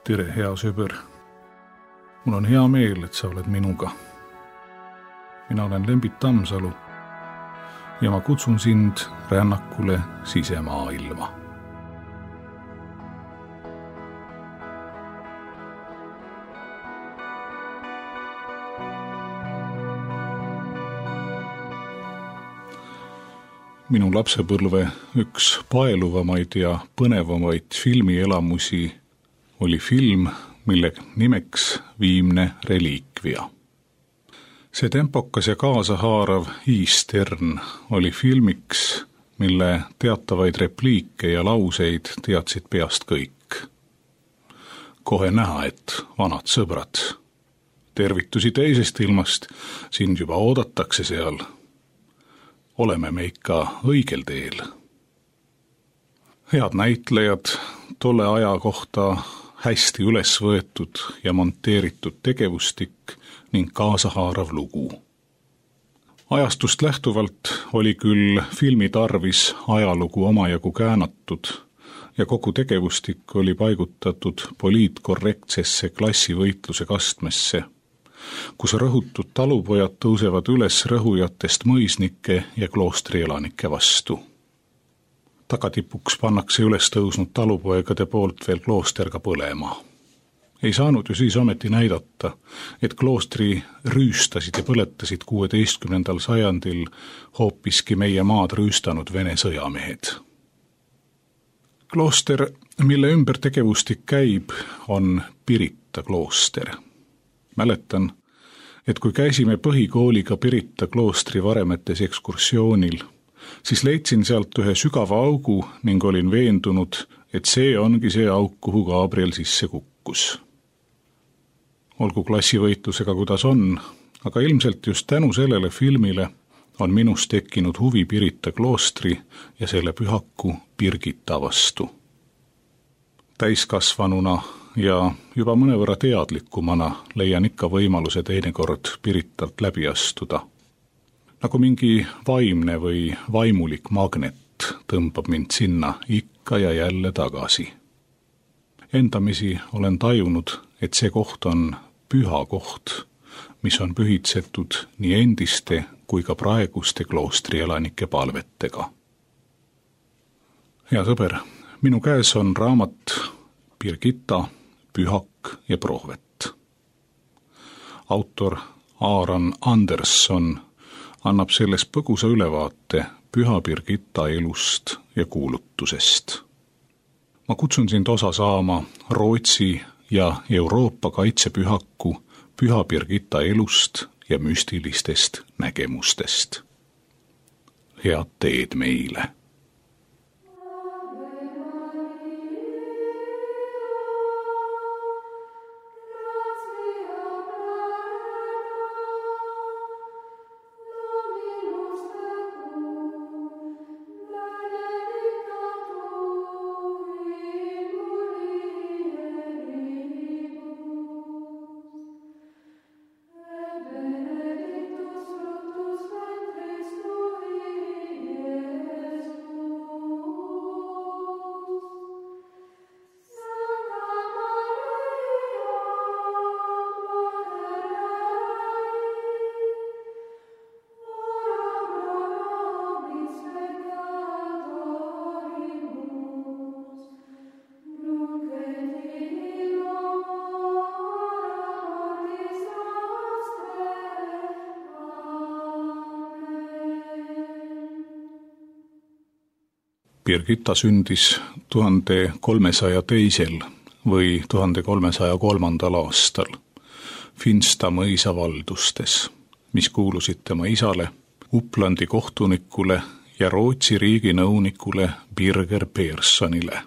Tere, hea sõber. Mul on hea meel, et sa oled minuga. Mina olen Lembit Tammsalu ja ma kutsun sind rännakule sisemaailma. Minu lapsepõlve üks paeluvamaid ja põnevamaid filmielamusi oli film, mille nimeks Viimne reliikvia. See tempokas ja kaasahaarav Eastern oli filmiks, mille teatavaid repliike ja lauseid teadsid peast kõik. Kohe näha, et vanad sõbrad. Tervitusi teisest ilmast, sind juba oodatakse seal. Oleme me ikka õigel teel. Head näitlejad, tolle aja kohta hästi üles võetud ja monteeritud tegevustik ning kaasahaarav lugu. Ajastust lähtuvalt oli küll filmi tarvis ajalugu omajagu käänatud ja kogu tegevustik oli paigutatud poliitkorrektsesse klassivõitluse kastmesse, kus rõhutud talupojad tõusevad üles rõhujatest mõisnike ja kloostrielanike vastu. Tagatipuks pannakse üles tõusnud talupoegade poolt veel klooster ka põlema. Ei saanud ju siis ometi näidata, et kloostri rüüstasid ja põletasid 16. sajandil hoopiski meie maad rüüstanud Vene sõjamehed. Klooster, mille ümber tegevustik käib, on Pirita klooster. Mäletan, et kui käisime põhikooliga Pirita kloostri varemetes ekskursioonil, siis leidsin sealt ühe sügava augu ning olin veendunud, et see ongi see auk, kuhu Gabriel sisse kukkus. Olgu klassivõitlusega kuidas on, aga ilmselt just tänu sellele filmile on minus tekkinud huvi Pirita kloostri ja selle pühaku Birgitta vastu. Täiskasvanuna ja juba mõnevõrra teadlikumana leian ikka võimaluse teinekord Piritalt läbi astuda. Nagu mingi vaimne või vaimulik magnet tõmbab mind sinna ikka ja jälle tagasi. Endamisi olen tajunud, et see koht on püha koht, mis on pühitsetud nii endiste kui ka praeguste kloostrielanike palvetega. Hea sõber, minu käes on raamat Birgitta, pühak ja prohvet. Autor Aaron Anderson annab selles põgusa ülevaate püha Birgitta elust ja kuulutusest. Ma kutsun sind osa saama Rootsi ja Euroopa kaitsepühaku püha Birgitta elust ja müstilistest nägemustest. Head teed meile! Birgitta sündis 1302. või 1303. aastal Finsta mõisa valdustes, mis kuulusid tema isale, Uplandi kohtunikule ja Rootsi riigi nõunikule Birger Perssonile,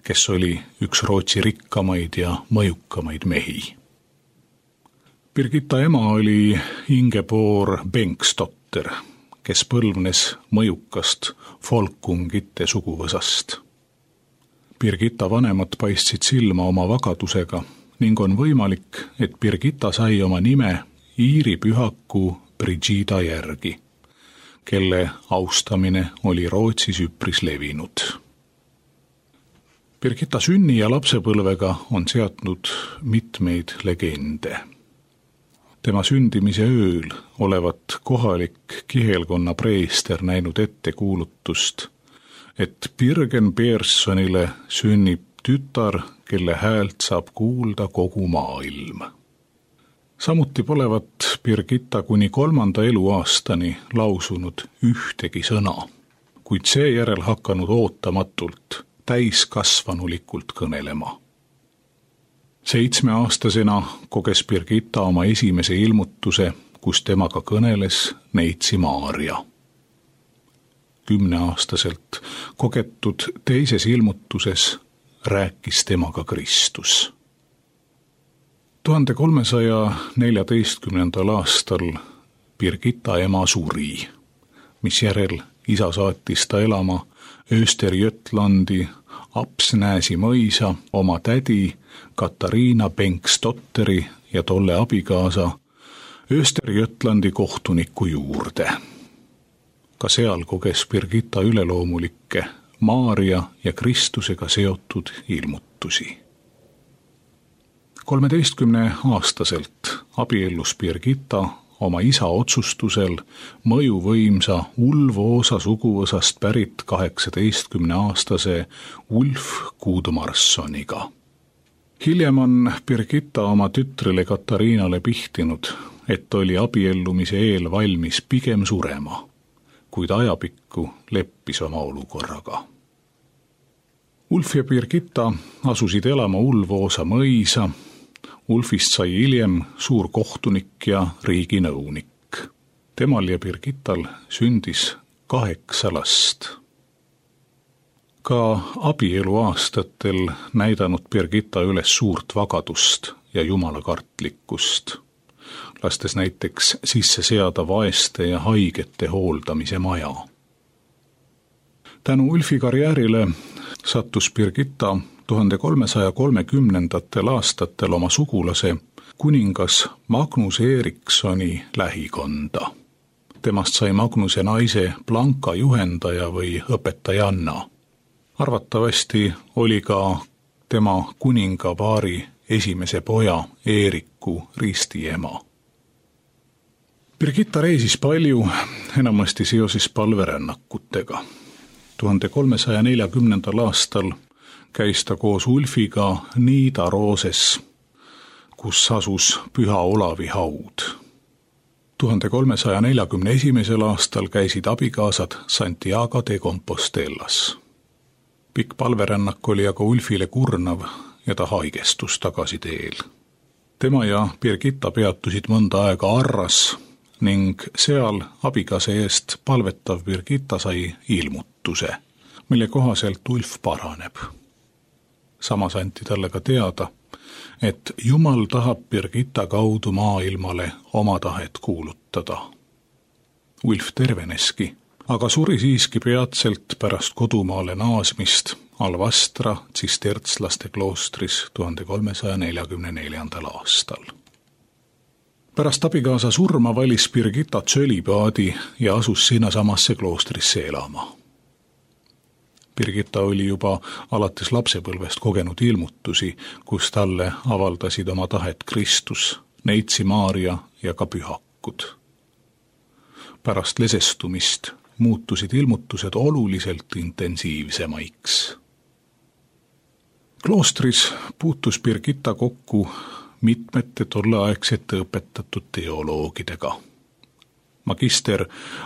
kes oli üks Rootsi rikkamaid ja mõjukamaid mehi. Birgitta ema oli Ingeborg Bengtsdotter, kes põlvnes mõjukast Folkungite suguvõsast. Birgitta vanemad paistsid silma oma vagadusega ning on võimalik, et Birgitta sai oma nime Iiri pühaku Brigida järgi, kelle austamine oli Rootsis üpris levinud. Birgitta sünni ja lapsepõlvega on seatnud mitmeid legende. Tema sündimise ööl olevat kohalik kihelkonna preester näinud ette kuulutust, et Birgen Pearsonile sünnib tütar, kelle häält saab kuulda kogu maailm. Samuti polevat Birgitta kuni 3. eluaastani lausunud ühtegi sõna, kuid seejärel hakanud ootamatult täiskasvanulikult kõnelema. 7-aastasena koges Birgitta oma esimese ilmutuse, kus temaga kõneles neitsi Maarja. 10-aastaselt kogetud teises ilmutuses rääkis temaga Kristus. 1314. aastal Birgitta ema suri, mis järel isa saatis ta elama Östergötlandi Apsnäsi mõisa oma tädi Katariina Bengtsdotteri ja tolle abikaasa Östergötlandi kohtuniku juurde. Ka seal koges Birgitta üleloomulikke Maarja ja Kristusega seotud ilmutusi. 13-aastaselt abiellus Birgitta oma isa otsustusel mõjuvõimsa Ulvoosa suguvõsast pärit 18-aastase Ulf Gudmarssoniga. Hiljem on Birgitta oma tütrele Katariinale pihtinud, et oli abiellumise eel valmis pigem surema, kuid ajapikku leppis oma olukorraga. Ulf ja Birgitta asusid elama Ulvoosa mõisa. Ulfist sai hiljem suur kohtunik ja riiginõunik. Temal ja Birgittal sündis 8 last. Ka abieluaastatel näidanud Birgitta üles suurt vagadust ja jumalakartlikkust, lastes näiteks sisse seada vaeste ja haigete hooldamise maja. Tänu Ulfi karjäärile sattus Birgitta 1330. aastatel oma sugulase kuningas Magnus Erikssoni lähikonda. Temast sai Magnuse naise Blanka juhendaja või õpetajanna. Arvatavasti oli ka tema kuningapaari esimese poja Eeriku ristiema. Birgitta reisis palju, enamasti seoses palverännakutega. 1340. aastal käis ta koos Ulfiga Nidarooses, kus asus Püha Olavi haud. 1341. aastal käisid abikaasad Santiago de Compostellas. Pikk palverännak oli aga Ulfile kurnav ja ta haigestus tagasiteel. Tema ja Birgitta peatusid mõnda aega Arras ning seal abikaasa eest palvetav Birgitta sai ilmutuse, mille kohaselt Ulf paraneb. Samas anti talle ka teada, et Jumal tahab Birgitta kaudu maailmale oma tahet kuulutada. Ulf terveneski, aga suri siiski peatselt pärast kodumaale naasmist Alvastra tsistertslaste kloostris 1344. aastal. Pärast abikaasa surma valis Birgitta tsölibaadi ja asus sinnasamasse kloostrisse elama. Birgitta oli juba alates lapsepõlvest kogenud ilmutusi, kus talle avaldasid oma tahet Kristus, neitsi Maarja ja ka pühakud. Pärast lesestumist muutusid ilmutused oluliselt intensiivsemaiks. Kloostris puutus Birgitta kokku mitmete tolleaegsete õpetatud teoloogidega. Magister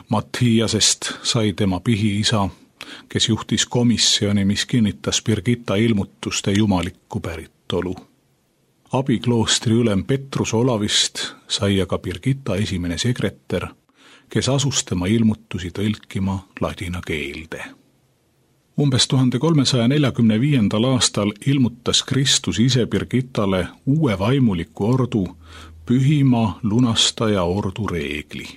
Mattiasest sai tema pihiisa, kes juhtis komisjoni, mis kinnitas Birgitta ilmutuste jumalikku päritolu. Abikloostri ülem Petrus Olavist sai aga Birgitta esimene sekretär, kes asus tema ilmutusi tõlkima ladina keelde. Umbes 1345. aastal ilmutas Kristus ise Birgittale uue vaimuliku ordu, pühima lunastaja ordu reegli.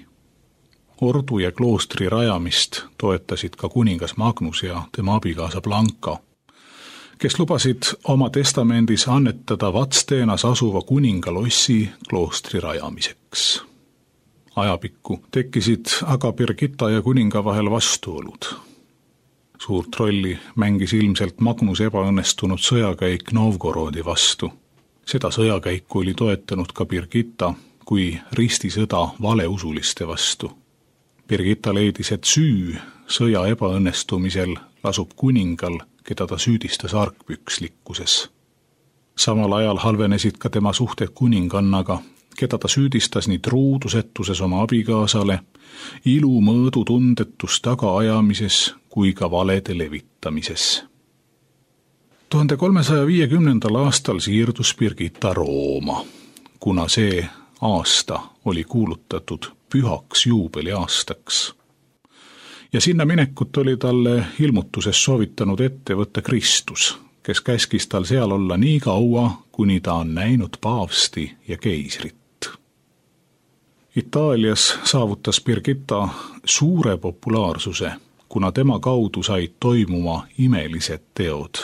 Ordu ja kloostri rajamist toetasid ka kuningas Magnus ja tema abikaasa Blanka, kes lubasid oma testamendis annetada Vatsteenas asuva kuningalossi kloostri rajamiseks. Ajapikku tekkisid aga Birgitta ja kuninga vahel vastuolud. Suurt rolli mängis ilmselt Magnuse ebaõnnestunud sõjakäik Novgorodi vastu. Seda sõjakäiku oli toetanud ka Birgitta kui ristisõda valeusuliste vastu. Birgitta leidis, et süü sõja ebaõnnestumisel lasub kuningal, keda ta süüdistas argpükslikkuses. Samal ajal halvenesid ka tema suhted kuningannaga, keda ta süüdistas nii truudusetuses oma abikaasale, ilumõõdutundetus tagaajamises kui ka valede levitamises. 1350. aastal siirdus Birgitta Rooma, kuna see aasta oli kuulutatud pühaks juubeliaastaks. Ja sinna minekut oli talle ilmutuses soovitanud ette võtta Kristus, kes käskis tal seal olla nii kaua, kuni ta on näinud paavsti ja keisrit. Itaalias saavutas Birgitta suure populaarsuse, kuna tema kaudu said toimuma imelised teod.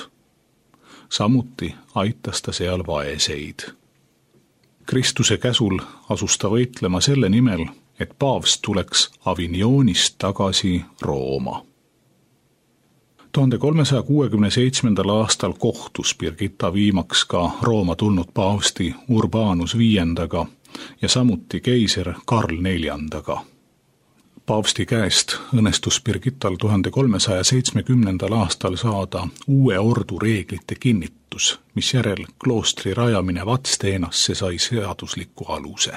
Samuti aitas ta seal vaeseid. Kristuse käsul asus ta võitlema selle nimel, et paavst tuleks Avignonist tagasi Rooma. 1367. aastal kohtus Birgitta viimaks ka Rooma tulnud paavsti Urbanus V ja samuti keiser Karl IV. Paavsti käest õnnestus Birgittal 1370. aastal saada uue ordu reeglite kinnitus, mis järel kloostri rajamine Vadstenasse sai seadusliku aluse.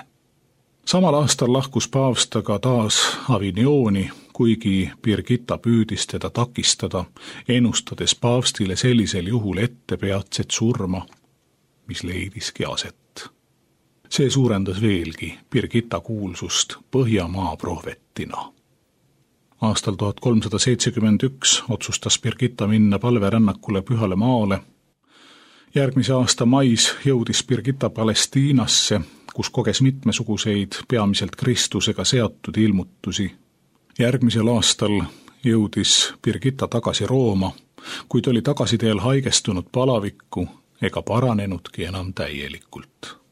Samal aastal lahkus paavst aga taas Avignoni, kuigi Birgitta püüdis teda takistada, ennustades paavstile sellisel juhul ette peatset surma, mis leidiski aset. See suurendas veelgi Birgitta kuulsust Põhjamaa prohvetina. Aastal 1371 otsustas Birgitta minna palverännakule Pühale Maale. Järgmise aasta mais jõudis Birgitta Palestiinasse, kus koges mitmesuguseid peamiselt Kristusega seotud ilmutusi. Järgmisel aastal jõudis Birgitta tagasi Rooma, kuid oli tagasiteel haigestunud palavikku ega paranenudki enam täielikult.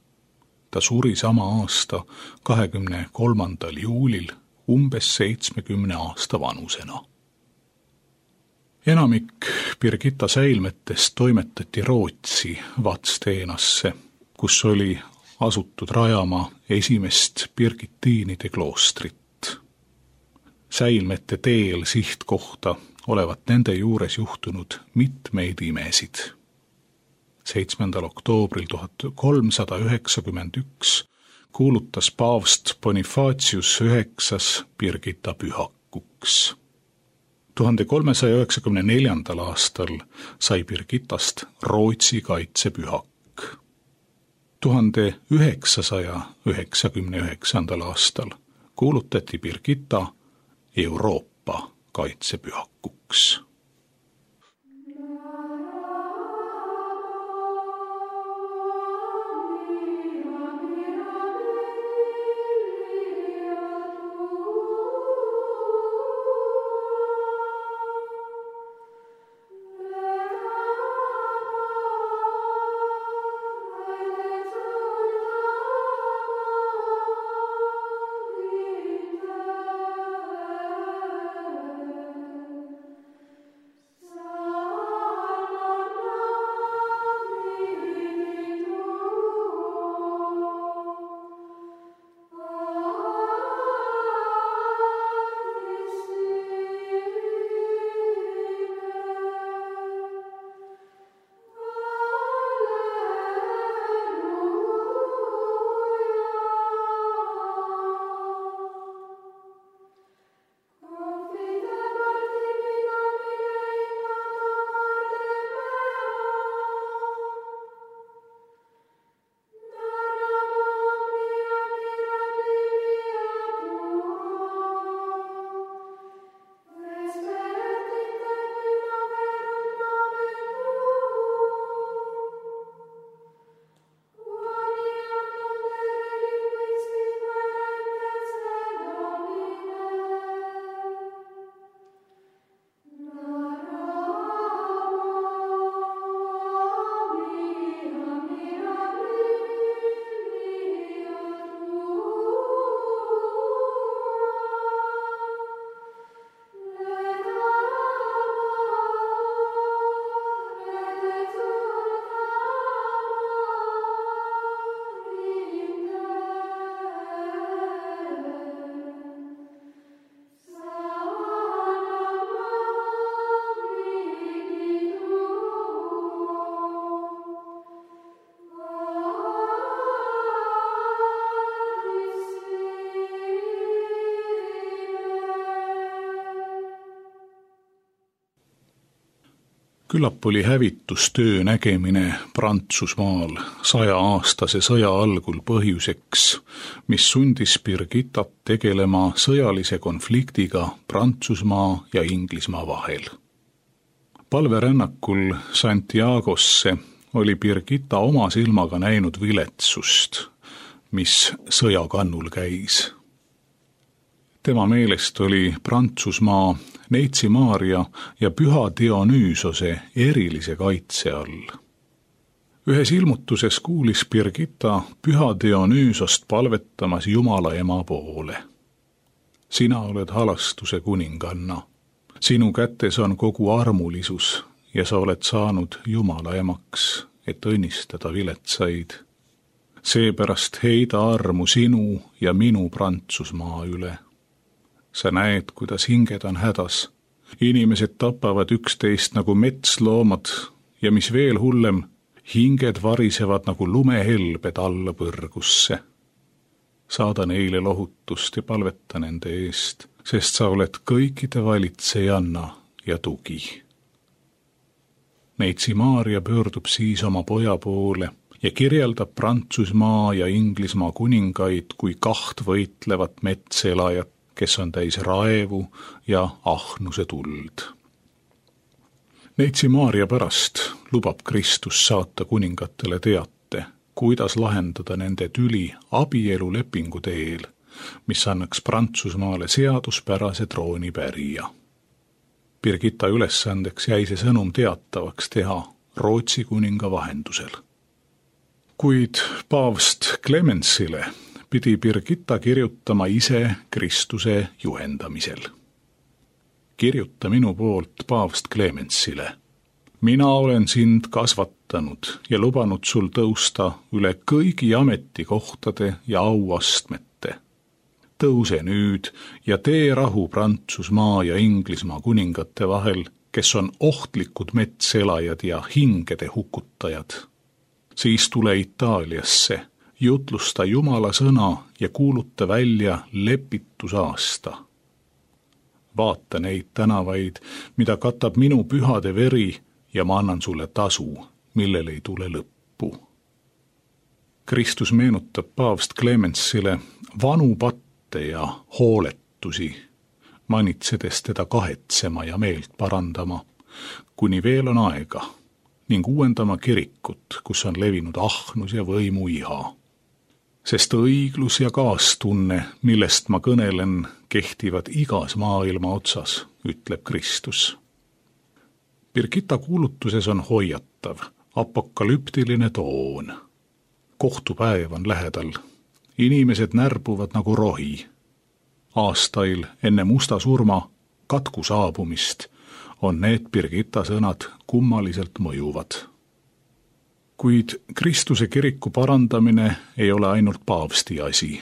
Ta suri sama aasta 23. juulil umbes 70 aasta vanusena. Enamik Birgitta säilmetest toimetati Rootsi Vadstenasse, kus oli asutud rajama esimest Birgittiinide kloostrit. Säilmete teel sihtkohta olevat nende juures juhtunud mitmeid imesid. 7. oktoobril 1391 kuulutas paavst Bonifatius IX Birgitta pühakuks. 1394. aastal sai Birgittast Rootsi kaitsepühak. 1999. aastal kuulutati Birgitta Euroopa kaitsepühakuks. Küllap oli hävitustöö nägemine Prantsusmaal 100-aastase sõja algul põhjuseks, mis sundis Birgittat tegelema sõjalise konfliktiga Prantsusmaa ja Inglismaa vahel. Palverännakul Santiagosse oli Birgitta oma silmaga näinud viletsust, mis sõjakannul käis. Tema meelest oli Prantsusmaa Neitsi Maarja ja Püha Dionüüsose erilise kaitse all. Ühes ilmutuses kuulis Birgitta Püha Dionüüsost palvetamas Jumala ema poole. Sina oled halastuse kuninganna. Sinu kätes on kogu armulisus ja sa oled saanud Jumala emaks, et õnnistada viletsaid. Seepärast heida armu sinu ja minu Prantsusmaa üle. Sa näed, kuidas hinged on hädas. Inimesed tapavad üksteist nagu metsloomad ja mis veel hullem, hinged varisevad nagu lumehelbed alla põrgusse. Saada neile lohutust ja palveta nende eest, sest sa oled kõikide valitsejanna ja tugi. Neitsi Maarja pöördub siis oma poja poole ja kirjeldab Prantsusmaa ja Inglismaa kuningaid kui kaht võitlevat metselajat, kes on täis raevu ja ahnuse tuld. Neitsi Maarja pärast lubab Kristus saata kuningatele teate, kuidas lahendada nende tüli abielulepingu teel, mis annaks Prantsusmaale seaduspärase troonipärija. Birgitta ülesandeks jäi see sõnum teatavaks teha Rootsi kuninga vahendusel. Kuid paavst Clemensile pidi Birgitta kirjutama ise Kristuse juhendamisel. Kirjuta minu poolt paavst Clemensile. Mina olen sind kasvatanud ja lubanud sul tõusta üle kõigi ametikohtade ja auastmete. Tõuse nüüd ja tee rahu Prantsusmaa ja Inglismaa kuningate vahel, kes on ohtlikud metselajad ja hingede hukutajad. Siis tule Itaaliasse, jutlusta Jumala sõna ja kuuluta välja lepitusaasta. Vaata neid tänavaid, mida katab minu pühade veri ja ma annan sulle tasu, millel ei tule lõppu. Kristus meenutab paavst Clemensile vanu patte ja hooletusi, manitsedes teda kahetsema ja meelt parandama, kuni veel on aega, ning uuendama kirikut, kus on levinud ahnus ja võimu iha. Sest õiglus ja kaastunne, millest ma kõnelen, kehtivad igas maailma otsas, ütleb Kristus. Birgitta kuulutuses on hoiatav, apokalüptiline toon. Kohtupäev on lähedal. Inimesed närbuvad nagu rohi. Aastail enne musta surma katku saabumist on need Birgitta sõnad kummaliselt mõjuvad. Kuid Kristuse kiriku parandamine ei ole ainult paavsti asi.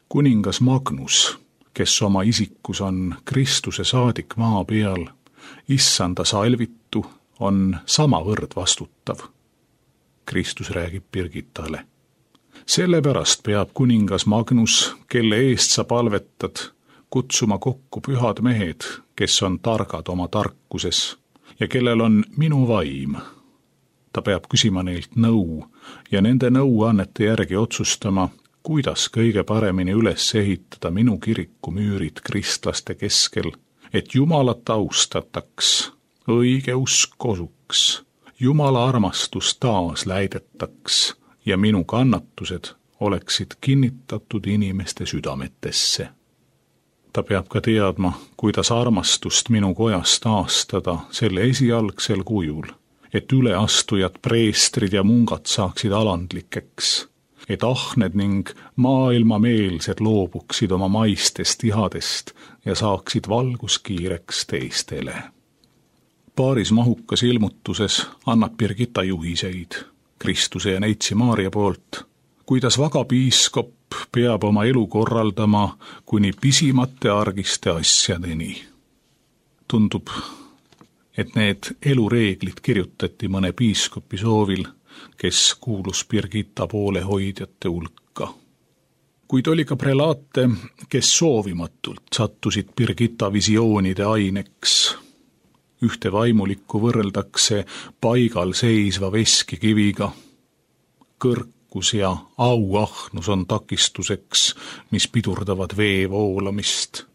Kuningas Magnus, kes oma isikus on Kristuse saadik maa peal, issanda salvitu, on samavõrd vastutav. Kristus räägib Birgittale. Sellepärast peab kuningas Magnus, kelle eest sa palvetad, kutsuma kokku pühad mehed, kes on targad oma tarkuses ja kellel on minu vaim. Ta peab küsima neilt nõu ja nende nõuannete järgi otsustama, kuidas kõige paremini üles ehitada minu kiriku müürid kristlaste keskel, et Jumalat austataks, õige usk kosuks, Jumala armastus taas läidetaks ja minu kannatused oleksid kinnitatud inimeste südametesse. Ta peab ka teadma, kuidas armastust minu kojas taastada selle esialgsel kujul, et üleastujad, preestrid ja mungad saaksid alandlikeks, et ahned ning maailmameelsed loobuksid oma maistest ihadest ja saaksid valguskiireks teistele. Paaris mahukas ilmutuses annab Birgitta juhiseid Kristuse ja Neitsi Maarja poolt, kuidas vaga piiskop peab oma elu korraldama kuni pisimate argiste asjadeni. Tundub, et need elureeglid kirjutati mõne piiskopi soovil, kes kuulus Birgitta poolehoidjate hulka. Kuid oli ka prelaate, kes soovimatult sattusid Birgitta visioonide aineks. Ühte vaimulikku võrreldakse paigal seisva veskikiviga. Kõrkus ja auahnus on takistuseks, mis pidurdavad vee voolamist.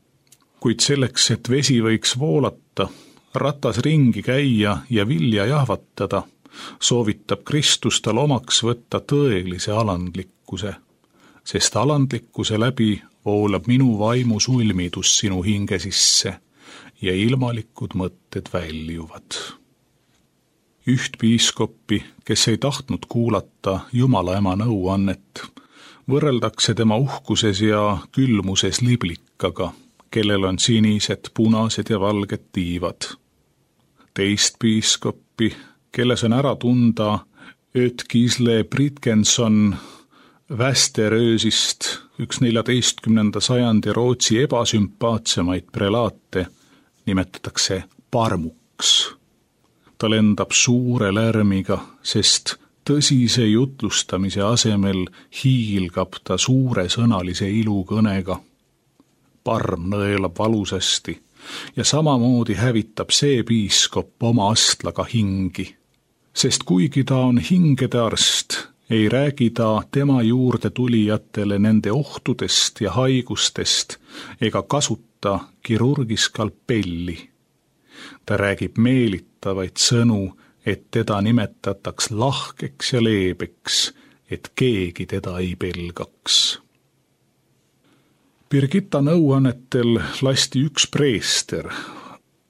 Kuid selleks, et vesi võiks voolata, ratas ringi käia ja vilja jahvatada, soovitab Kristus tal omaks võtta tõelise alandlikkuse, sest alandlikkuse läbi voolab minu vaimu sulmidus sinu hinge sisse ja ilmalikud mõtted väljuvad. Üht piiskoppi, kes ei tahtnud kuulata Jumala ema nõuannet, võrreldakse tema uhkuses ja külmuses liblikaga, kellel on sinised, punased ja valged tiivad. Teist piiskoppi, kelles on ära tunda Ötkisle Britkenson Västeröösist, üks 14. sajandi Rootsi ebasümpaatsemaid prelaate, nimetatakse parmuks. Ta lendab suure lärmiga, sest tõsise jutlustamise asemel hiilgab ta suuresõnalise ilukõnega. Parm nõelab valusasti ja samamoodi hävitab see piiskop oma astlaga hingi, sest kuigi ta on hingede arst, ei räägi ta tema juurde tulijatele nende ohtudest ja haigustest ega kasuta kirurgiskalpelli. Ta räägib meelitavaid sõnu, et teda nimetataks lahkeks ja leebeks, et keegi teda ei pelgaks. Birgitta nõuannetel lasti üks preester,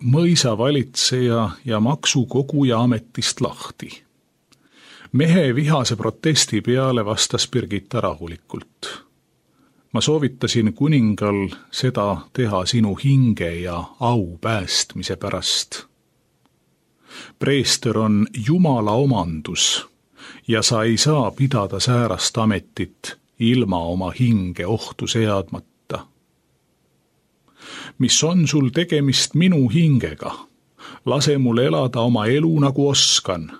mõisavalitseja ja maksukoguja ametist lahti. Mehe vihase protesti peale vastas Birgitta rahulikult. Ma soovitasin kuningal seda teha sinu hinge ja au päästmise pärast. Preester on Jumala omandus ja sa ei saa pidada säärast ametit ilma oma hinge ohtu seadmata. Mis on sul tegemist minu hingega? Lase mul elada oma elu nagu oskan.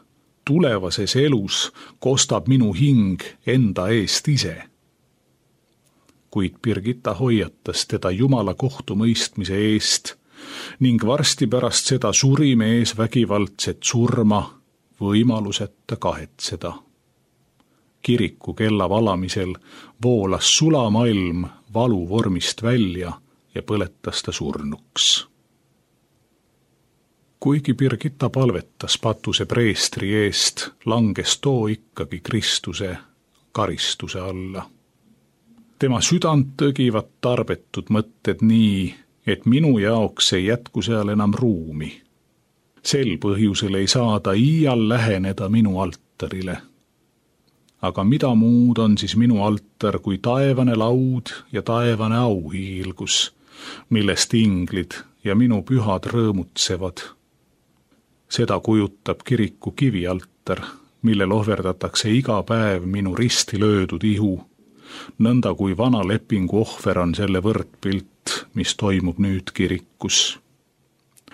Tulevases elus kostab minu hing enda eest ise. Kuid Birgitta hoiatas teda Jumala kohtumõistmise eest ning varsti pärast seda suri mees vägivaldset surma võimaluseta kahetseda. Kiriku kella valamisel voolas sulamalm valu vormist välja ja põletas ta surnuks. Kuigi Birgitta palvetas patuse preestri eest, langes too ikkagi Kristuse karistuse alla. Tema südant tõgivad tarbetud mõtted nii, et minu jaoks ei jätku seal enam ruumi. Sel põhjusel ei saa ta iial läheneda minu altarile. Aga mida muud on siis minu altar kui taevane laud ja taevane auhiilgus, millest inglid ja minu pühad rõõmutsevad. Seda kujutab kiriku kivialtar, millel ohverdatakse iga päev minu risti löödud ihu, nõnda kui vana lepingu ohver on selle võrdpilt, mis toimub nüüd kirikus.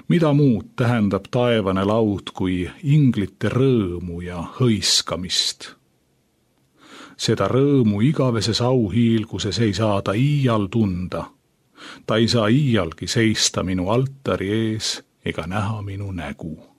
Mida muud tähendab taevane laud kui inglite rõõmu ja hõiskamist? Seda rõõmu igaveses auhiilguses ei saa ta iial tunda. Ta ei saa iialgi seista minu altari ees ega näha minu nägu.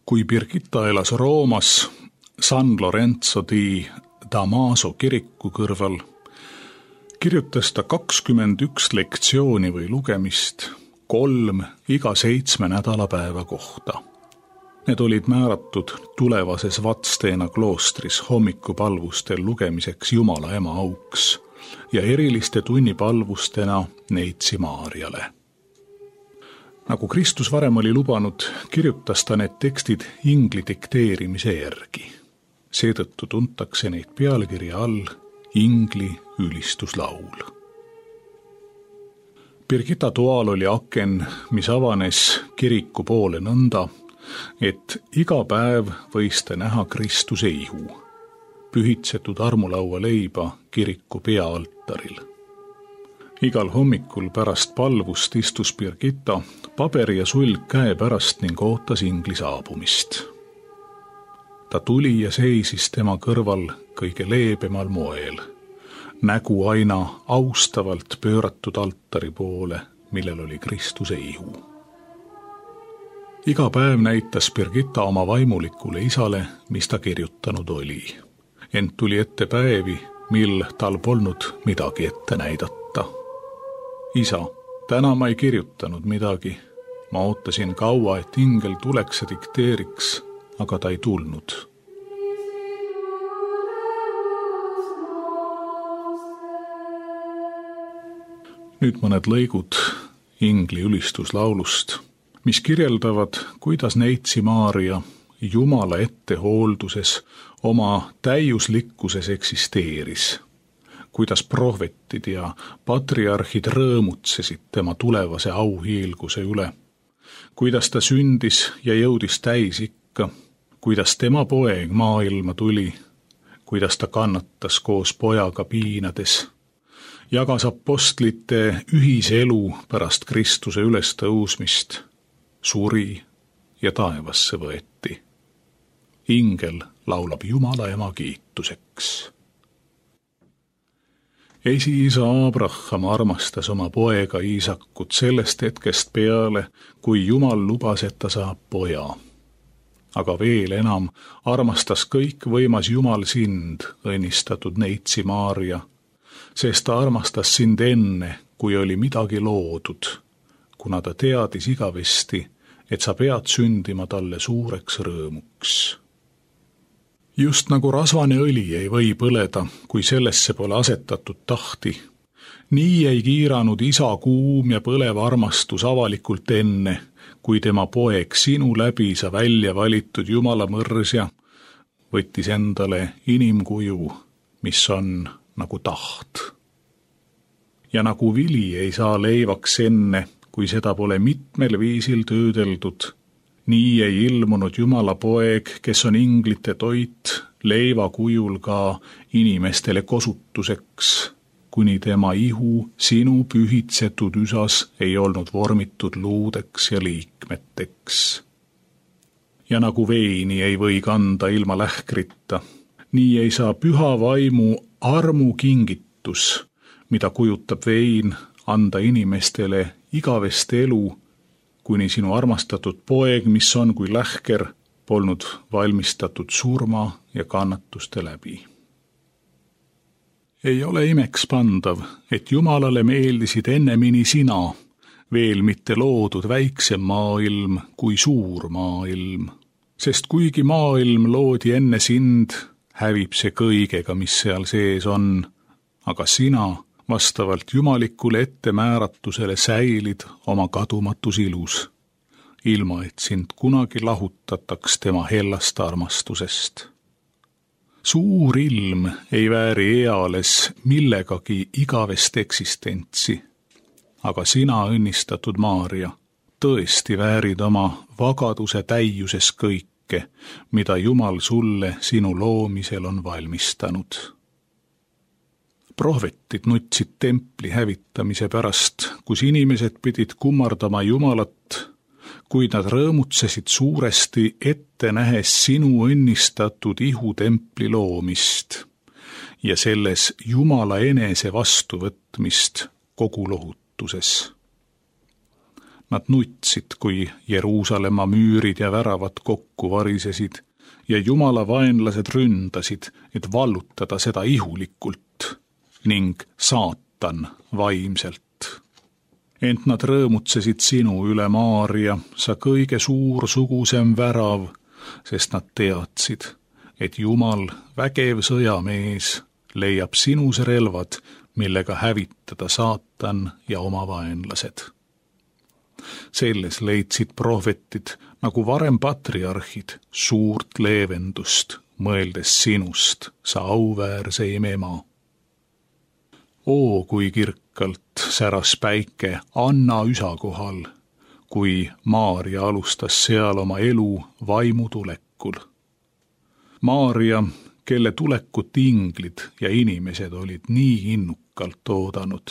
Kui Birgitta elas Roomas San Lorenzo di Damaso kiriku kõrval, kirjutas ta 21 lektsiooni või lugemist, 3 iga 7 nädalapäeva kohta. Need olid määratud tulevases Vatsteena kloostris hommikupalvustel lugemiseks Jumala ema auks ja eriliste tunnipalvustena Neitsi Maarjale. Nagu Kristus varem oli lubanud, kirjutas ta need tekstid ingli dikteerimise järgi. Seetõttu tuntakse neid pealkirja all ingli ülistuslaul. Birgitta toal oli aken, mis avanes kiriku poole nõnda, et iga päev võis ta näha Kristuse ihu, pühitsetud armulaua leiba kiriku peaaltaril. Igal hommikul pärast palvust istus Birgitta paberi ja sulg käe pärast ning ootas ingli saabumist. Ta tuli ja seisis tema kõrval kõige leebemal moel, nägu aina austavalt pööratud altari poole, millel oli Kristuse ihu. Iga päev näitas Birgitta oma vaimulikule isale, mis ta kirjutanud oli. Ent tuli ette päevi, mil tal polnud midagi ette näidata. Isa, täna ma ei kirjutanud midagi. Ma ootasin kaua, et ingel tuleks ja dikteeriks, aga ta ei tulnud. Nüüd mõned lõigud ingli ülistuslaulust, mis kirjeldavad, kuidas Neitsi Maarja Jumala ettehoolduses oma täiuslikkuses eksisteeris, kuidas prohvetid ja patriarhid rõõmutsesid tema tulevase auhiilguse üle, kuidas ta sündis ja jõudis täisikka, kuidas tema poeg maailma tuli, kuidas ta kannatas koos pojaga piinades, jagas apostlite ühise elu pärast Kristuse ülestõusmist, suri ja taevasse võeti. Ingel laulab Jumala ema kiituseks. Esiisa Abraham armastas oma poega Iisakut sellest hetkest peale, kui Jumal lubas, et ta saab poja. Aga veel enam armastas kõikvõimas Jumal sind, õnnistatud Neitsi Maarja, sest ta armastas sind enne, kui oli midagi loodud, kuna ta teadis igavesti, et sa pead sündima talle suureks rõõmuks. Just nagu rasvane õli ei või põleda, kui sellesse pole asetatud tahti, nii ei kiiranud isa kuum ja põlev armastus avalikult enne, kui tema poeg sinu läbi sa välja valitud Jumala mõrsja võttis endale inimkuju, mis on nagu taht. Ja nagu vili ei saa leivaks enne, kui seda pole mitmel viisil töödeldud, nii ei ilmunud Jumala poeg, kes on inglite toit, leiva kujul ka inimestele kosutuseks, kuni tema ihu sinu pühitsetud üsas ei olnud vormitud luudeks ja liikmeteks. Ja nagu veini ei või kanda ilma lähkrita, nii ei saa püha vaimu armu kingitus, mida kujutab vein, anda inimestele igavest elu, kuni sinu armastatud poeg, mis on kui lähker, polnud valmistatud surma ja kannatuste läbi. Ei ole imeks pandav, et Jumalale meeldisid ennemini sina, veel mitte loodud väiksem maailm kui suur maailm. Sest kuigi maailm loodi enne sind, hävib see kõigega, mis seal sees on, aga sina vastavalt jumalikule ettemääratusele säilid oma kadumatus ilus, ilma et sind kunagi lahutataks tema hellast armastusest. Suur ilm ei vääri eales millegagi igavest eksistentsi, aga sina, õnnistatud Maarja, tõesti väärid oma vagaduse täiuses kõike, mida Jumal sulle sinu loomisel on valmistanud. Prohvetid nutsid templi hävitamise pärast, kus inimesed pidid kummardama Jumalat, kuid nad rõõmutsesid suuresti ette nähes sinu õnnistatud ihu templi loomist ja selles Jumala enese vastuvõtmist kogu lohutuses. Nad nutsid, kui Jeruusalemma müürid ja väravad kokku varisesid ja Jumala vaenlased ründasid, et vallutada seda ihulikult ning saatan vaimselt. Ent nad rõõmutsesid sinu üle, Maaria, sa kõige suursugusem värav, sest nad teadsid, et Jumal, vägev sõjamees, leiab sinus relvad, millega hävitada saatan ja oma vaenlased. Selles leidsid prohvetid, nagu varem patriarhid, suurt leevendust, mõeldes sinust, sa auväärseim ema. Oo, kui kirkalt säras päike Anna üsa kohal, kui Maaria alustas seal oma elu vaimu tulekul. Maaria, kelle tulekut inglid ja inimesed olid nii innukalt oodanud.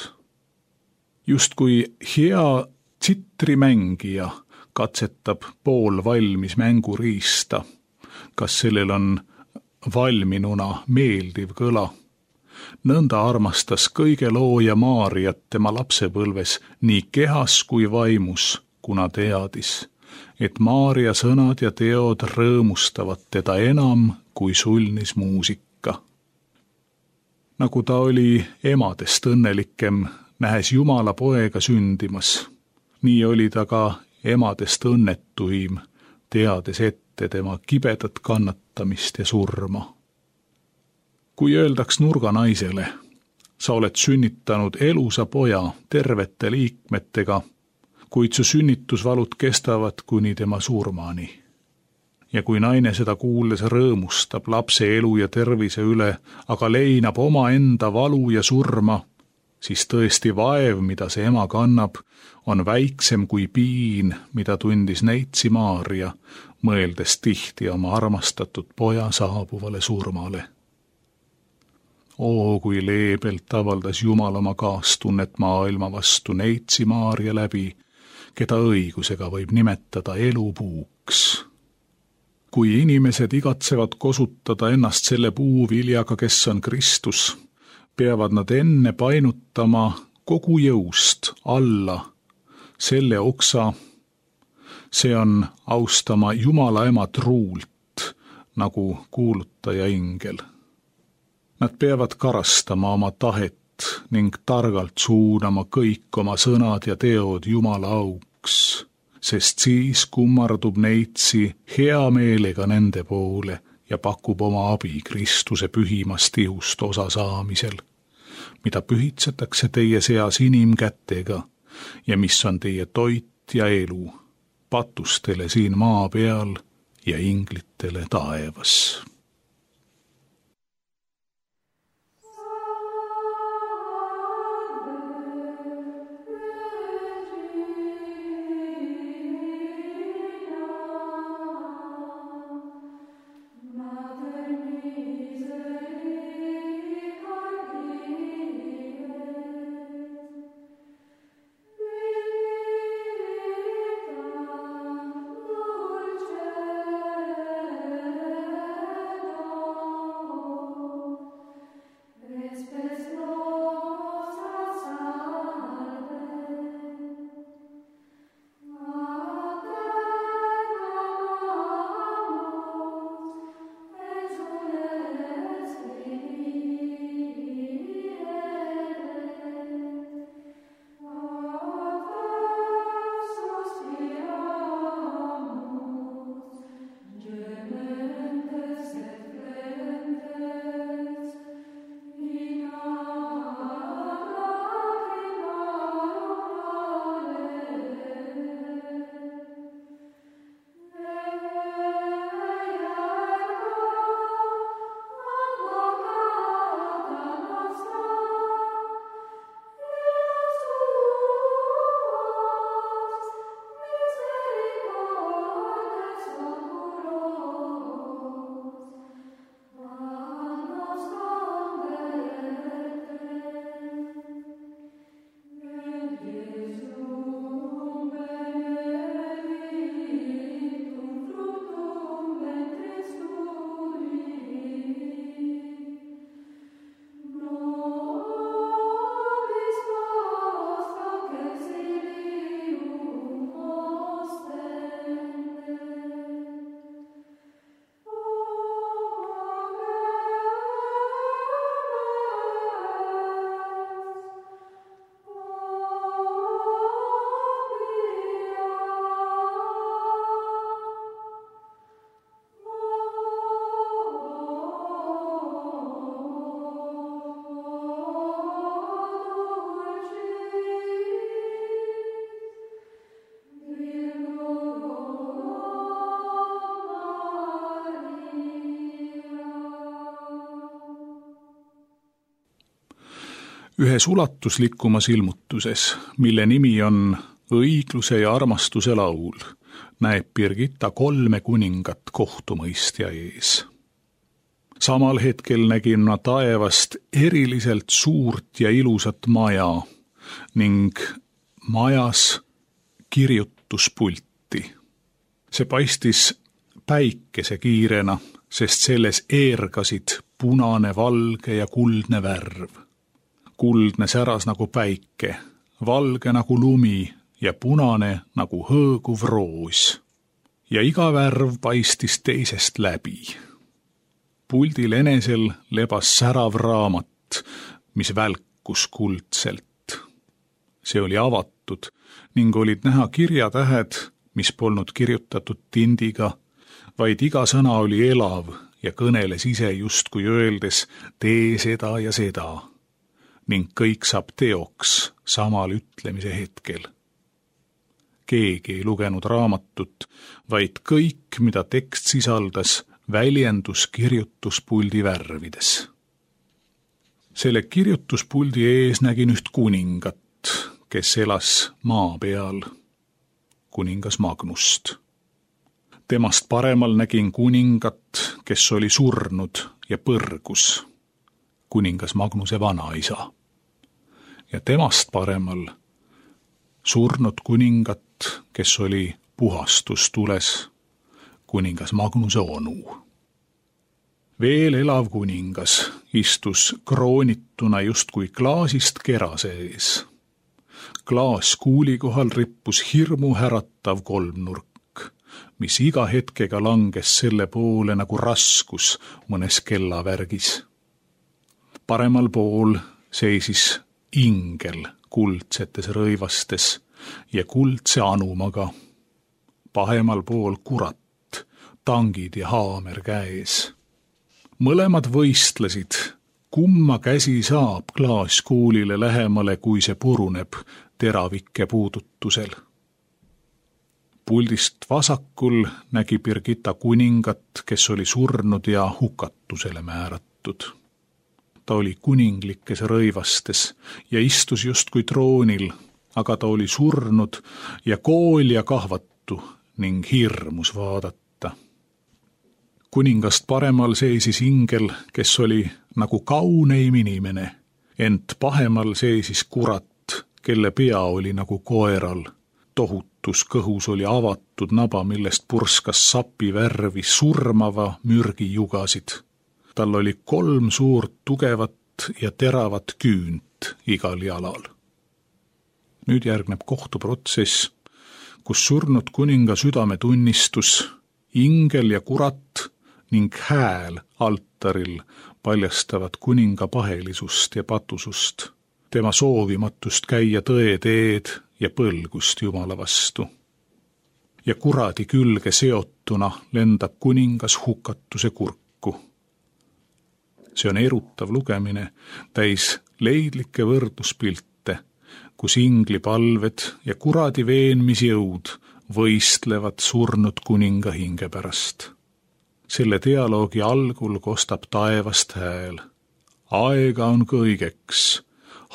Justkui hea tsitrimängija katsetab poolvalmis mänguriista, kas sellel on valminuna meeldiv kõla. Nõnda armastas kõige looja Maariat tema lapsepõlves nii kehas kui vaimus, kuna teadis, et Maaria sõnad ja teod rõõmustavad teda enam kui sulnis muusika. Nagu ta oli emadest õnnelikem, nähes Jumala poega sündimas, nii oli ta ka emadest õnnetuim, teades ette tema kibedat kannatamist ja surma. Kui öeldaks nurganaisele, sa oled sünnitanud elusa poja tervete liikmetega, kuid su sünnitusvalud kestavad kuni tema surmani. Ja kui naine seda kuuldes rõõmustab lapse elu ja tervise üle, aga leinab omaenda valu ja surma, siis tõesti vaev, mida see ema kannab, on väiksem kui piin, mida tundis neitsi Maaria, mõeldes tihti oma armastatud poja saabuvale surmale. Oo, kui leebelt avaldas Jumal oma kaastunnet maailma vastu neitsi Maaria läbi, keda õigusega võib nimetada elupuuks. Kui inimesed igatsevad kosutada ennast selle puu viljaga, kes on Kristus, peavad nad enne painutama kogu jõust alla selle oksa, see on austama Jumala ema truult, nagu kuulutaja ingel. Nad peavad karastama oma tahet ning targalt suunama kõik oma sõnad ja teod Jumala auks, sest siis kummardub neitsi hea meelega nende poole ja pakub oma abi Kristuse pühimast ihust osa saamisel, mida pühitsetakse teie seas inimkätega ja mis on teie toit ja elu, patustele siin maa peal ja inglitele taevas. Ühes ulatuslikumas ilmutuses, mille nimi on õigluse ja armastuse laul, näeb Birgitta 3 kuningat kohtumõistja ees. Samal hetkel nägin ma taevast eriliselt suurt ja ilusat maja ning majas kirjutuspulti. See paistis päikesekiirena, sest selles eergasid punane, valge ja kuldne värv. Kuldne säras nagu päike, valge nagu lumi ja punane nagu hõõguv roos. Ja iga värv paistis teisest läbi. Puldil enesel lebas särav raamat, mis välkus kuldselt. See oli avatud ning olid näha kirjatähed, mis polnud kirjutatud tindiga, vaid iga sõna oli elav ja kõneles ise justkui öeldes tee seda ja seda. Ning kõik saab teoks samal ütlemise hetkel. Keegi ei lugenud raamatut, vaid kõik, mida tekst sisaldas, väljendus kirjutuspuldi värvides. Selle kirjutuspuldi ees nägin üht kuningat, kes elas maa peal, kuningas Magnust. Temast paremal nägin kuningat, kes oli surnud ja põrgus, kuningas Magnuse vanaisa. Ja temast paremal surnud kuningat, kes oli puhastustules, kuningas Magnuse onu. Veel elav kuningas istus kroonituna justkui klaasist kerase ees. Klaaskuuli kohal rippus hirmu äratav kolmnurk, mis iga hetkega langes selle poole nagu raskus mõnes kellavärgis. Paremal pool seisis ingel kuldsetes rõivastes ja kuldse anumaga. Pahemal pool kurat, tangid ja haamer käes. Mõlemad võistlesid, kumma käsi saab klaaskuulile lähemale, kui see puruneb teravike puudutusel. Puldist vasakul nägi Birgitta kuningat, kes oli surnud ja hukatusele määratud. Ta oli kuninglikes rõivastes ja istus justkui troonil, aga ta oli surnud ja kool ja kahvatu ning hirmus vaadata. Kuningast paremal seisis ingel, kes oli nagu kauneim inimene, ent pahemal seisis kurat, kelle pea oli nagu koeral. Tohutus kõhus oli avatud naba, millest purskas sapi värvi surmava mürgi jugasid. Tal oli 3 suurt tugevat ja teravat küünt igal jalal. Nüüd järgneb kohtuprotsess, kus surnud kuninga südametunnistus, ingel ja kurat ning hääl altaril paljastavad kuninga pahelisust ja patusust, tema soovimatust käia tõe teed ja põlgust Jumala vastu. Ja kuradi külge seotuna lendab kuningas hukatuse kurku. See on erutav lugemine, täis leidlikke võrdluspilte, kus ingli palved ja kuradi veenmisjõud võistlevad surnud kuninga hinge pärast. Selle dialoogi algul kostab taevast hääl. Aega on kõigeks,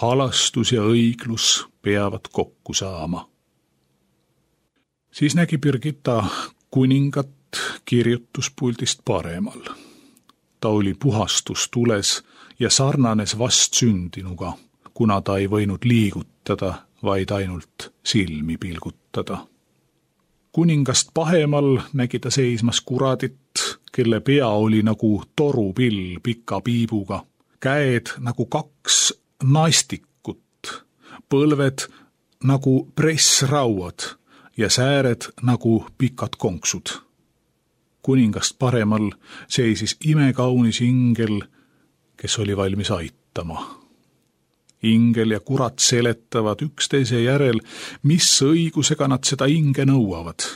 halastus ja õiglus peavad kokku saama. Siis nägi Birgitta kuningat kirjutuspuldist paremal. Ta oli puhastustules ja sarnanes vastsündinuga, kuna ta ei võinud liigutada, vaid ainult silmi pilgutada. Kuningast pahemal nägi ta seismas kuradit, kelle pea oli nagu torupill pika piibuga, käed nagu 2 naistikut, põlved nagu pressrauad ja sääred nagu pikad konksud. Kuningast paremal seisis imekaunis ingel, kes oli valmis aitama. Ingel ja kurat seletavad üksteise järel, mis õigusega nad seda inge nõuavad.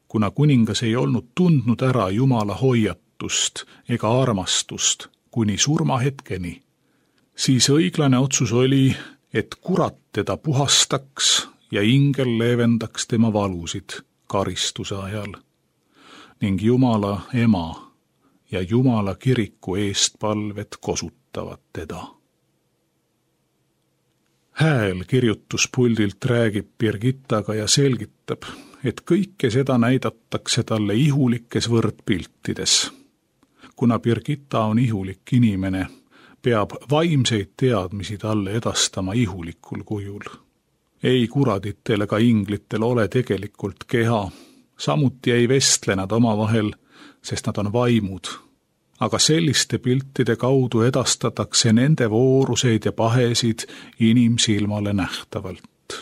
Kuna kuningas ei olnud tundnud ära Jumala hoiatust ega armastust kuni surmahetkeni, siis õiglane otsus oli, et kurat teda puhastaks ja ingel leevendaks tema valusid karistuse ajal. Ning Jumala ema ja Jumala kiriku eestpalved kosutavad teda. Hääl kirjutuspuldilt räägib Birgittaga ja selgitab, et kõike seda näidatakse talle ihulikes võrdpiltides. Kuna Birgitta on ihulik inimene, peab vaimseid teadmisi talle edastama ihulikul kujul. Ei kuraditel ega inglitel ole tegelikult keha, samuti ei vestle nad omavahel, sest nad on vaimud. Aga selliste piltide kaudu edastatakse nende vooruseid ja pahesid inimsilmale nähtavalt.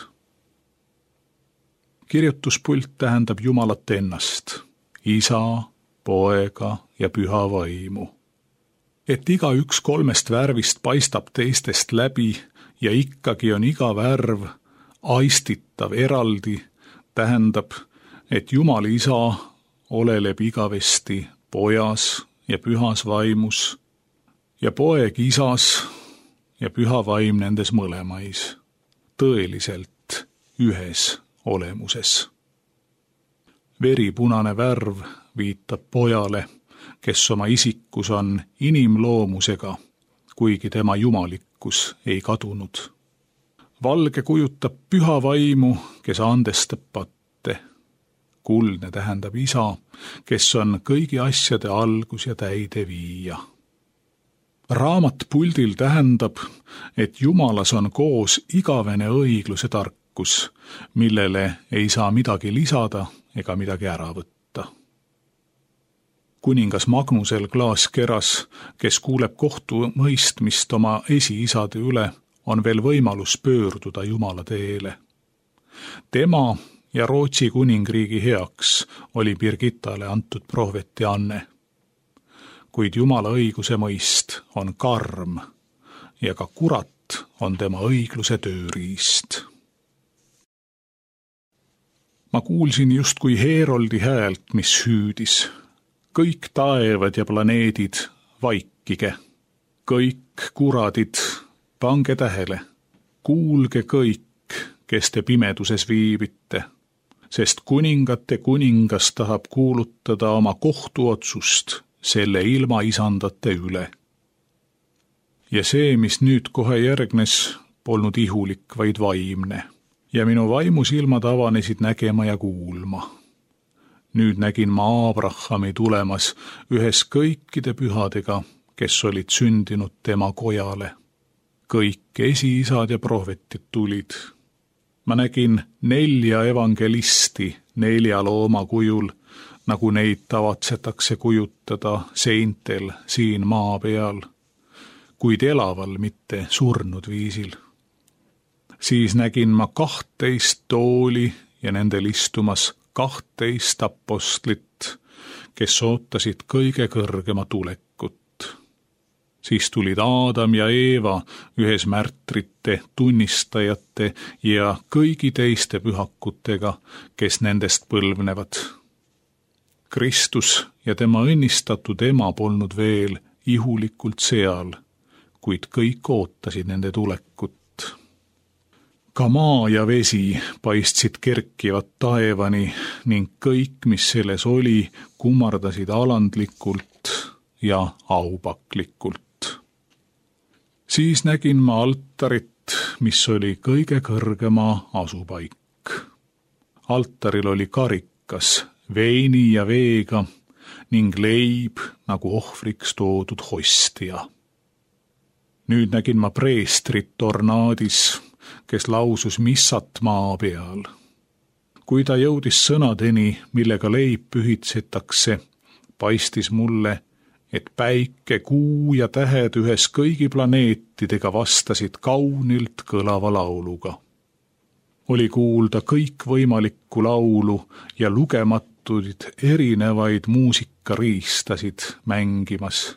Kirjutuspult tähendab Jumalat ennast, Isa, Poega ja Püha Vaimu. Et igaüks kolmest värvist paistab teistest läbi ja ikkagi on iga värv aistitav eraldi, tähendab, et Jumal Isa oleleb igavesti Pojas ja Pühas Vaimus ja Poeg Isas ja Püha Vaim nendes mõlemais, tõeliselt ühes olemuses. Veripunane värv viitab Pojale, kes oma isikus on inimloomusega, kuigi tema jumalikkus ei kadunud. Valge kujutab Püha Vaimu, kes andestab patte. Kuldne tähendab Isa, kes on kõigi asjade algus ja täideviija. Raamat puldil tähendab, et Jumalas on koos igavene õigluse tarkus, millele ei saa midagi lisada ega midagi ära võtta. Kuningas Magnusel Klaaskeras, kes kuuleb kohtumõistmist oma esiisade üle, on veel võimalus pöörduda Jumala teele. Tema ja Rootsi kuningriigi heaks oli Birgittale antud prohveti anne. Kuid Jumala õiguse mõist on karm ja ka kurat on tema õigluse tööriist. Ma kuulsin justkui Heeroldi häält, mis hüüdis. Kõik taevad ja planeedid, vaikige. Kõik kuradid, pange tähele. Kuulge kõik, kes te pimeduses viibite, sest kuningate kuningas tahab kuulutada oma kohtuotsust selle ilma isandate üle. Ja see, mis nüüd kohe järgnes, polnud ihulik, vaid vaimne. Ja minu vaimusilmad avanesid nägema ja kuulma. Nüüd nägin ma Abrahami tulemas ühes kõikide pühadega, kes olid sündinud tema kojale. Kõik esiisad ja prohvetid tulid. Ma nägin 4 evangelisti 4 looma kujul, nagu neid tavatsetakse kujutada seintel siin maa peal, kuid elaval, mitte surnud viisil. Siis nägin ma 12 tooli ja nendel istumas 12 apostlit, kes ootasid kõige kõrgema tulekut. Siis tulid Aadam ja Eeva ühes märtrite, tunnistajate ja kõigi teiste pühakutega, kes nendest põlvnevad. Kristus ja tema õnnistatud ema polnud veel ihulikult seal, kuid kõik ootasid nende tulekut. Ka maa ja vesi paistsid kerkivat taevani ning kõik, mis selles oli, kummardasid alandlikult ja aupaklikult. Siis nägin ma altarit, mis oli kõige kõrgema asupaik. Altaril oli karikas veini ja veega ning leib nagu ohvriks toodud hostia. Nüüd nägin ma preestrit ornaadis, kes lausus missat maa peal. Kui ta jõudis sõnadeni, millega leib pühitsetakse, paistis mulle, et päike, kuu ja tähed ühes kõigi planeetidega vastasid kaunilt kõlava lauluga. Oli kuulda kõikvõimalikku laulu ja lugematuid erinevaid muusikariistasid mängimas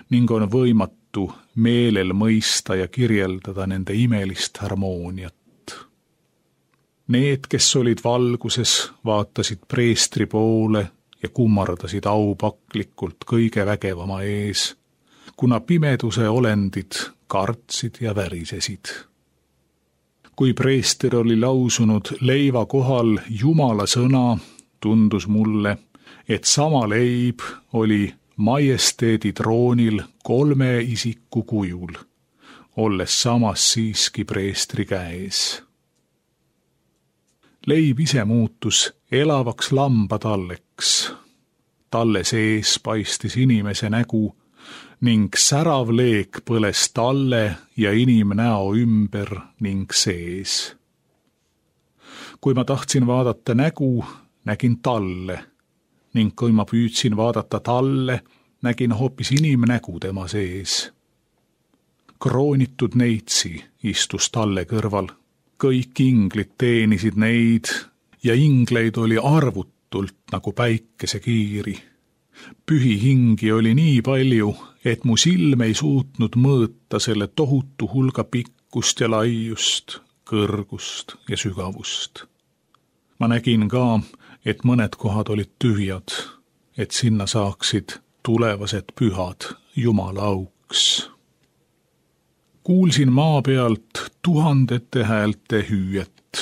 ning on võimatu meelel mõista ja kirjeldada nende imelist harmooniat. Need, kes olid valguses, vaatasid preestri poole ja kummardasid aupaklikult kõige vägevama ees, kuna pimeduse olendid kartsid ja värisesid. Kui preester oli lausunud leiva kohal Jumala sõna, tundus mulle, et sama leib oli majesteedi troonil 3 isiku kujul. olles samas siiski preestri käes. Leib ise muutus elavaks lambatalleks. Talle sees paistis inimese nägu ning särav leek põles talle ja inimnäo ümber ning sees. Kui ma tahtsin vaadata nägu, nägin talle ning kui ma püüdsin vaadata talle, nägin hoopis inimnägu tema sees. Kroonitud neitsi istus talle kõrval. Kõik inglid teenisid neid ja ingleid oli arvutult nagu päikesekiiri. Pühi hingi oli nii palju, et mu silm ei suutnud mõõta selle tohutu hulga pikkust ja laiust, kõrgust ja sügavust. Ma nägin ka, et mõned kohad olid tühjad, et sinna saaksid tulevased pühad Jumala auks. Kuulsin maa pealt tuhandete häälte hüüet.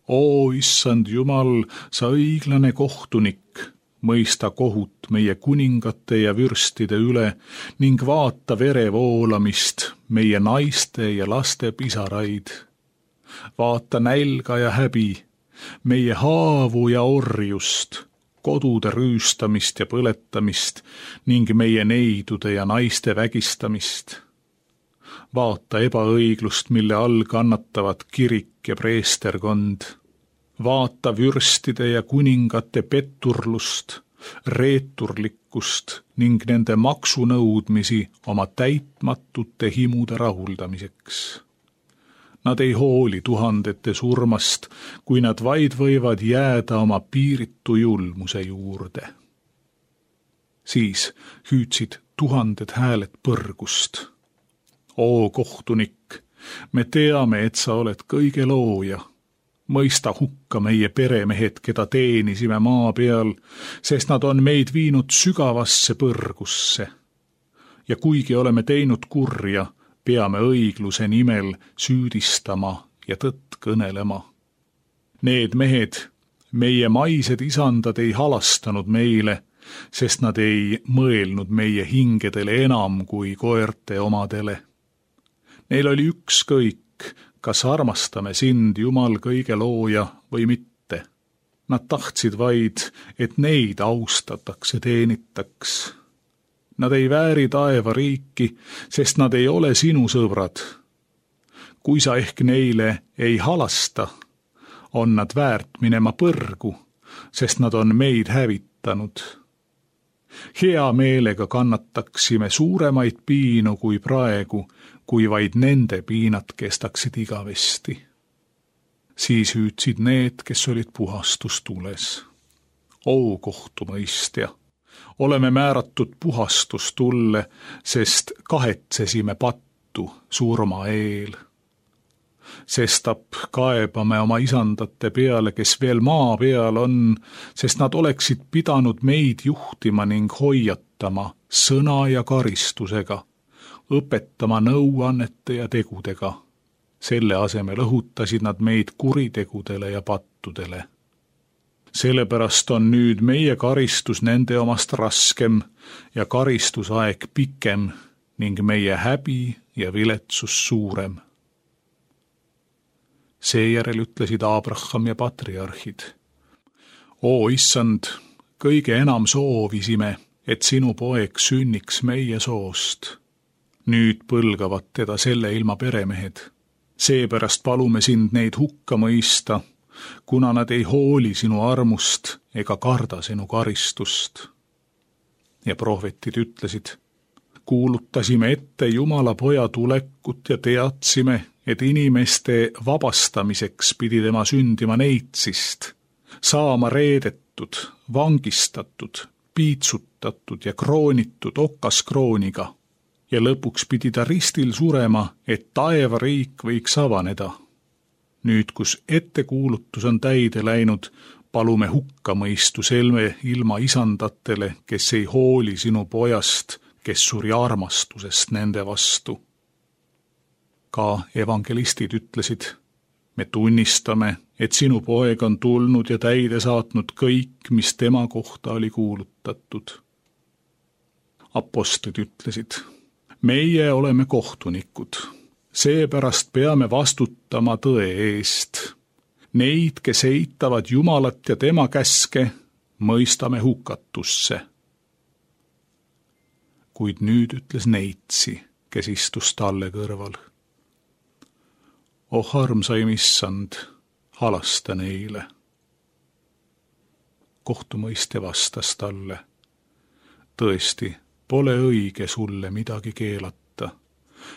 O issand Jumal, sa õiglane kohtunik, mõista kohut meie kuningate ja vürstide üle ning vaata vere voolamist, meie naiste ja laste pisaraid. Vaata nälga ja häbi, meie haavu ja orjust, kodude rüüstamist ja põletamist ning meie neidude ja naiste vägistamist. Vaata ebaõiglust, mille all kannatavad kirik ja preesterkond. Vaata vürstide ja kuningate petturlust, reeturlikkust ning nende maksunõudmisi oma täitmatute himude rahuldamiseks. Nad ei hooli tuhandete surmast, kui nad vaid võivad jääda oma piiritu julmuse juurde. Siis hüüdsid tuhanded hääled põrgust. O kohtunik, me teame, et sa oled kõige looja. Mõista hukka meie peremehed, keda teenisime maa peal, sest nad on meid viinud sügavasse põrgusse. Ja kuigi oleme teinud kurja, peame õigluse nimel süüdistama ja tõtt kõnelema. Need mehed, meie maised isandad ei halastanud meile, sest nad ei mõelnud meie hingedele enam kui koerte omadele. Neil oli ükskõik, kas armastame sind, Jumal, kõige looja või mitte. Nad tahtsid vaid, et neid austatakse, teenitaks. Nad ei vääri taeva riiki, sest nad ei ole sinu sõbrad. Kui sa ehk neile ei halasta, on nad väärt minema põrgu, sest nad on meid hävitanud. Hea meelega kannataksime suuremaid piinu kui praegu, kui vaid nende piinad kestaksid igavesti. Siis hüüdsid need, kes olid puhastustules. O kohtumõistja, oleme määratud puhastustulle, sest kahetsesime pattu surma eel. Sestap kaebame oma isandate peale, kes veel maa peal on, sest nad oleksid pidanud meid juhtima ning hoiatama sõna ja karistusega, õpetama nõuannete ja tegudega. Selle asemel õhutasid nad meid kuritegudele ja pattudele. Sellepärast on nüüd meie karistus nende omast raskem ja karistusaeg pikem ning meie häbi ja viletsus suurem. Seejärel ütlesid Abraham ja patriarhid. O issand, kõige enam soovisime, et sinu poeg sünniks meie soost. Nüüd põlgavad teda selle ilma peremehed. Seepärast palume sind neid hukka mõista, kuna nad ei hooli sinu armust ega karda sinu karistust. Ja prohvetid ütlesid, kuulutasime ette Jumala poja tulekut ja teadsime, et inimeste vabastamiseks pidi tema sündima neitsist, saama reedetud, vangistatud, piitsutatud ja kroonitud okaskrooniga ja lõpuks pidi ta ristil surema, et taevariik võiks avaneda. Nüüd, kus ettekuulutus on täide läinud, palume hukkamõistu selme ilma isandatele, kes ei hooli sinu pojast, kes suri armastusest nende vastu. Ka evangelistid ütlesid, me tunnistame, et sinu poeg on tulnud ja täide saatnud kõik, mis tema kohta oli kuulutatud. Apostlid ütlesid, meie oleme kohtunikud, Seepärast peame vastutama tõe eest. Neid, kes eitavad Jumalat ja tema käske, mõistame hukatusse. Kuid nüüd ütles Neitsi, kes istus talle kõrval. Oh armsaim issand, halasta neile. Kohtumõistja vastas talle. Tõesti, pole õige sulle midagi keelata,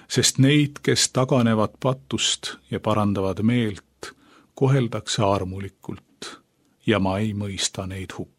sest neid, kes taganevad patust ja parandavad meelt, koheldakse armulikult ja ma ei mõista neid hukka.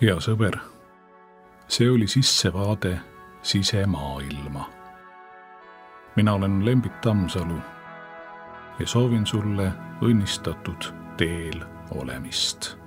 Hea sõber, see oli sissevaade sisemaailma. Mina olen Lembit Tammsalu ja soovin sulle õnnistatud teel olemist.